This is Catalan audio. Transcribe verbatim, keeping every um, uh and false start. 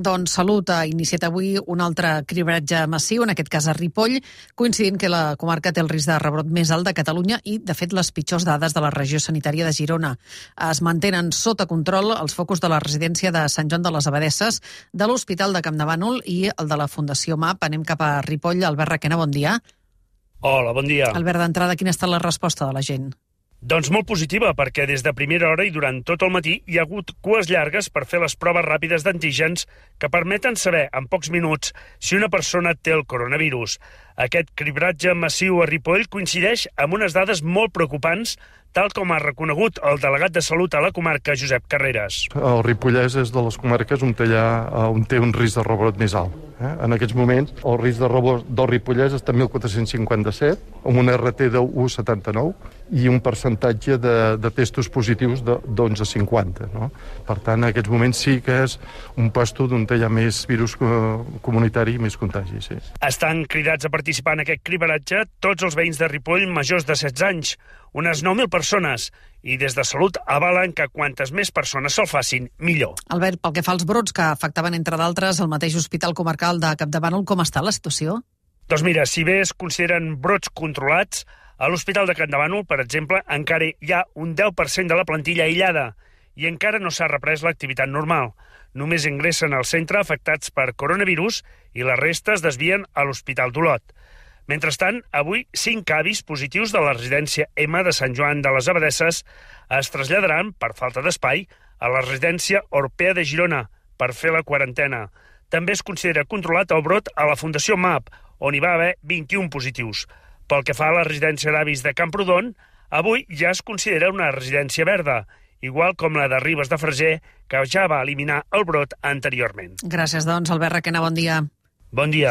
Doncs Salut ha iniciat avui un altre cribratge massiu, en aquest cas a Ripoll, coincidint que la comarca té el risc de rebrot més alt de Catalunya i, de fet, les pitjors dades de la regió sanitària de Girona. Es mantenen sota control els focus de la residència de Sant Joan de les Abadesses, de l'Hospital de Campdevànol i el de la Fundació M A P. Anem cap a Ripoll. Albert Requena, bon dia. Hola, bon dia. Albert, d'entrada, quina ha estat la resposta de la gent? Doncs molt positiva, perquè des de primera hora i durant tot el matí hi ha hagut cues llargues per fer les proves ràpides d'antígens que permeten saber en pocs minuts si una persona té el coronavirus. Aquest cribratge massiu a Ripoll coincideix amb unes dades molt preocupants, tal com ha reconegut el delegat de Salut a la comarca, Josep Carreras. El Ripollès és de les comarques on té, allà, on té un risc de rebrot més alt. Eh? En aquests moments, el risc de rebrot del Ripollès està en mil quatre-cents cinquanta-set, amb un R T de u coma setanta-nou i un percentatge de, de testos positius d'onze coma cinquanta. No? Per tant, en aquests moments sí que és un puesto on hi ha més virus comunitari i més contagi. Sí. Estan cridats a participar en aquest cribratge tots els veïns de Ripoll majors de setze anys, unes nou mil persones, i des de Salut avalen que quantes més persones se'l facin, millor. Albert, pel que fa als brots que afectaven, entre d'altres, el mateix Hospital Comarcal de Campdevànol, com està la situació? Doncs mira, si bé es consideren brots controlats, a l'Hospital de Campdevànol, per exemple, encara hi ha un deu per cent de la plantilla aïllada i encara no s'ha reprès l'activitat normal. Només ingressen al centre afectats per coronavirus i la resta es desvien a l'Hospital d'Olot. Mentrestant, avui, cinc avis positius de la residència M de Sant Joan de les Abadesses es traslladaran, per falta d'espai, a la residència Orpea de Girona per fer la quarantena. També es considera controlat el brot a la Fundació M A P, on hi va haver vint-i-un positius. Pel que fa a la residència d'avis de Camprodon, avui ja es considera una residència verda, igual com la de Ribes de Freser, que ja va eliminar el brot anteriorment. Gràcies, doncs, Albert Requena, bon dia. Bon dia.